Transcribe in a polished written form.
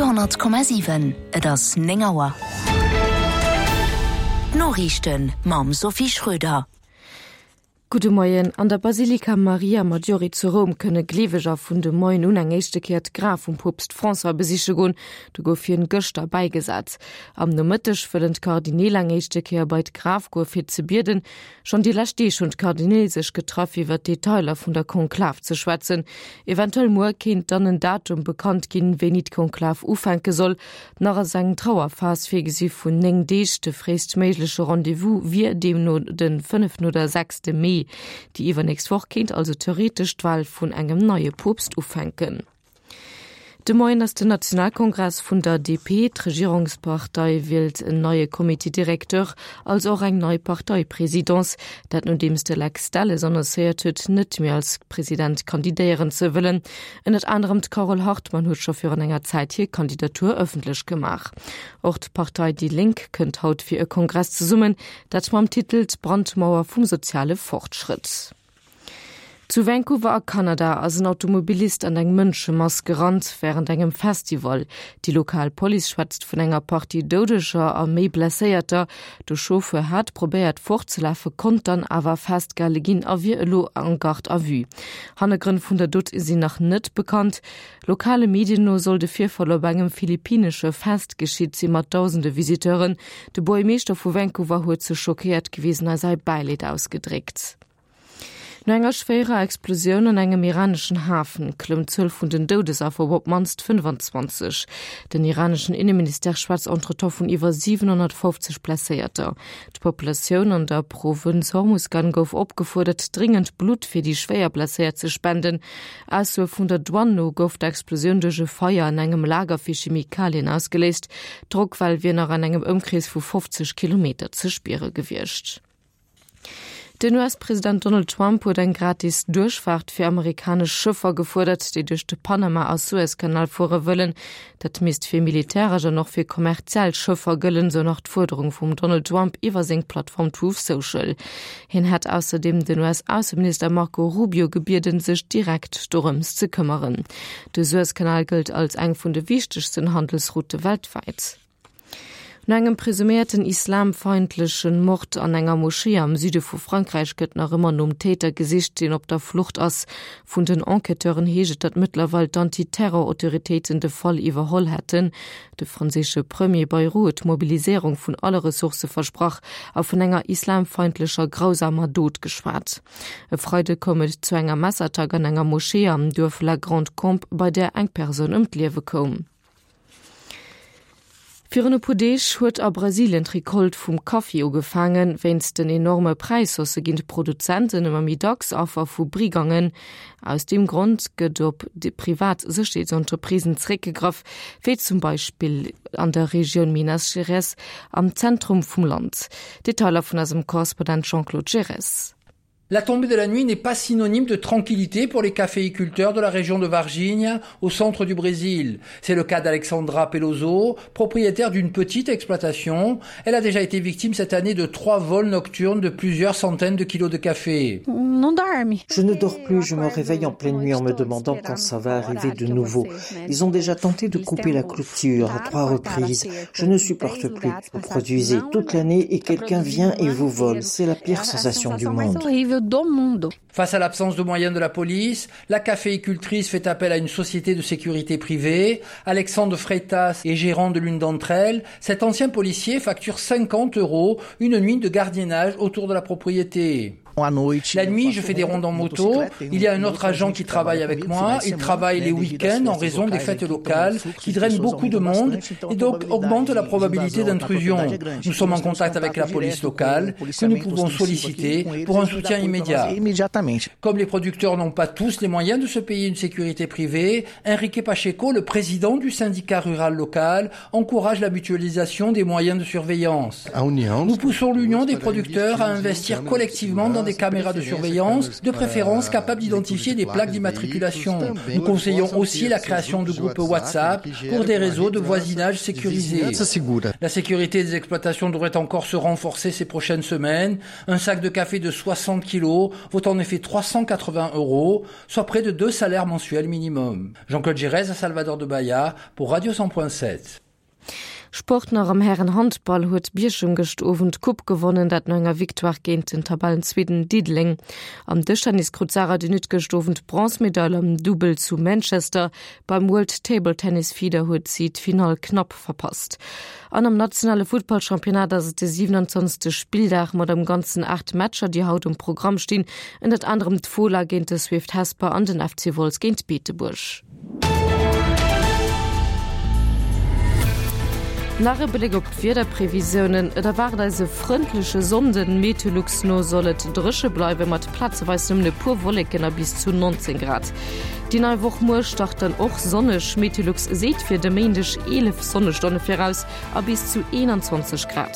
Radio 10,7, Et ass 9 Auer. D'Noriichten mam Sophie Schröder. Gudde Moien. An der Basilika Maria Maggiore zu Roum kënne Gleeweger vun de Moien un eng éischte Kéier d'Graf vum Poopst François besiche goen. Do gouf hien gëschter bäigesat. Am Nomëtteg wëllen d'Kardineel eng éischte Kéier bei d'Graf goe fir ze bieden. Schonn déi lescht Deeg hunn d'Kardineel sech getraff fir iwwer d'Detailer vun der Konklav ze schwätzen. Eventuell muer kéint dann en Datum bekannt ginn, wéini d'Konklav ufänke soll. Nach ass eng Trauerphas virgesi vun 9 Deeg. De fréistméigleche Rendez-vous wier deemno de fënneften oder sechste Mee. Déi iwwernächst Woch kéint also theoretesch d'Wal vun engem neie Poopst ufänken. De Moien ass den Nationalkongress vun der DP. D'Regierungspartei wielt en neie Comité directeur, also och eng nei Parteipresidence. Dat nodeems de Lex Delles annoncéiert huet, net méi als President kandidéieren ze wëllen. Ënnert anerem d'Carole Hartmann huet scho virun enger Zäit hir Kandidatur ëffentlech gemaach. Och d'Partei déi Lénk kënnt haut fir e Kongress zesummen, dat mam Titel D'Brandmauer vum soziale Fortschrëtt. Zu Vancouver a Kanada ass en Automobilist an eng Mënschemass gerannt wärend engem Festival. Déi lokal Police schwätzt vun enger Partie Doudeger a méi Blesséierter. De Chauffeur hat probéiert fortzelafen, konnt dann awer festgehale ginn a wier elo en Garde à vue. Hannergrënn vun der Dot sinn nach net bekannt. Lokale Medien no soll de Virfall op engem philippinesche Fest geschitt si mat dausende Visiteuren. De Buergmeeschter vu Vancouver huet sech schockéiert gewisen a säi Bäileed ausgedréckt. No enger schwéierer Explosioun an engem iraneschen Hafen klëmmt d'Zuel vun den Doudesaffer op op d'mannst 25. Den iraneschen Inneministère schwätzt entretemps vun iwwer 750 Blesséierter. D'Populatioun an der Provënz Hormuzgan gouf opgefuerdert, dréngend Blutt fir déi schwéier Blesséiert ze spenden. Aussoe vun der Douane no gouf d'Explosioun duerch e Feier an engem Lager fir Chemikalien ausgeléist. D'Drockwell wier nach an engem Ëmkrees vu 50 Kilometer ze spiere gewiescht. Den US-President Donald Trump huet eng gratis Duerchfaart fir amerikanesch Schëffer gefuerdert, déi duerch de Panama a Suezkanal fuere wëllen. Dat misst fir militäresch an och fir kommerziell Schëffer gëllen, sou nach d'Fuerderung vum Donald Trump iwwer seng Plattform Truth Social. Hien hätt ausserdeem den US-Ausseminister Marco Rubio gebieden, sech direkt dorëms ze këmmeren. De Suezkanal gëllt als eng vun de wichtegsten Handelsroute weltwäit. No engem presuméierten islamfeindlechen Mord an enger Moschee am Süde vu Frankräich gëtt nach ëmmer nom Täter gesicht, deen op der Flucht ass. Vun den Enquêteuren heescht et, datt mëttlerweil d'Anti-Terror-Autoritéiten de Fall iwwerholl hätten. De franséische Premier Bayrou huet d'Mobiliséierung vun alle Ressourcë versprach a vun enger islamfeindlecher grausamer Dot geschwat. E Freide koum et zu enger Messerattack an enger Moschee am Duerf La Grande-Combe, bei där eng Persoun ëm d'Liewe koum. Virun e puer Deeg huet a Brasilien d'Recolte vum Kaffi ugefaangen. Wéinst den enorme Präishaussë ginn d'Produzenten ëmmer méi dacks Affer vu Brigangen. Aus deem Grond gëtt op privat Sécherheetsentreprisen zeréckgegraff, wéi zum Beispill an der Regioun Minas Gerais am Zentrum vum Land. Detailer vun eisem Korrespondent Jean-Claude Geres. La tombée de la nuit n'est pas synonyme de tranquillité pour les caféiculteurs de la région de Varginha, au centre du Brésil. C'est le cas d'Alexandra Peloso, propriétaire d'une petite exploitation. Elle a déjà été victime cette année de trois vols nocturnes de plusieurs centaines de kilos de café. Je ne dors plus, je me réveille en pleine nuit en me demandant quand ça va arriver de nouveau. Ils ont déjà tenté de couper la clôture à trois reprises. Je ne supporte plus. Vous produisez toute l'année et quelqu'un vient et vous vole. C'est la pire sensation du monde. Face à l'absence de moyens de la police, la caféicultrice fait appel à une société de sécurité privée. Alexandre Freitas est gérant de l'une d'entre elles. Cet ancien policier facture 50 euros une nuit de gardiennage autour de la propriété. La nuit, je fais des rondes en moto. Il y a un autre agent qui travaille avec moi. Il travaille les week-ends en raison des fêtes locales qui drainent beaucoup de monde et donc augmente la probabilité d'intrusion. Nous sommes en contact avec la police locale que nous pouvons solliciter pour un soutien immédiat. Comme les producteurs n'ont pas tous les moyens de se payer une sécurité privée, Enrique Pacheco, le président du syndicat rural local, encourage la mutualisation des moyens de surveillance. Nous poussons l'Union des producteurs à investir collectivement dans des caméras de surveillance, de préférence capables d'identifier des plaques d'immatriculation. Nous conseillons aussi la création de groupes WhatsApp pour des réseaux de voisinage sécurisés. La sécurité des exploitations devrait encore se renforcer ces prochaines semaines. Un sac de café de 60 kg vaut en effet. fait 380 euros, soit près de deux salaires mensuels minimum. Jean-Claude Gérez à Salvador de Bahia pour Radio 100.7. Sport nach Am Hären-Handball huet Bierchem gëscht Owend d'Coupe gewonnen, dat no enger Victoire géint den Tabellenzweeten Diddeleng. Am Dëschtennis krut d'Sarah de Nutte gëscht Owend d'Bronzmedail am Dubbel zu Manchester. Beim World Table Tennis Feeder huet si d'Finall knapp verpasst. An am nationale Futtballchampionnat ass et de 27. Spilldag mat am Ganzen 8 Matcher, déi haut um Programm stinn, ënnert anerem d'Fola géint de Swift Hesper an den FC Wolz géint Beetebuerg. Nach e Bléck op d'Wiederprevisiounen, Et erwaart eis e frëndleche Sonnden, Meteolux no soll et dréche bleiwe mat plazeweis nëmmen e puer Wolleken a bis zu 19 Grad. Déi nei Woch muer start dann och sonneg, Meteolux seet fir de Méindeg 11 Sonnestonne viraus a bis zu 21 Grad.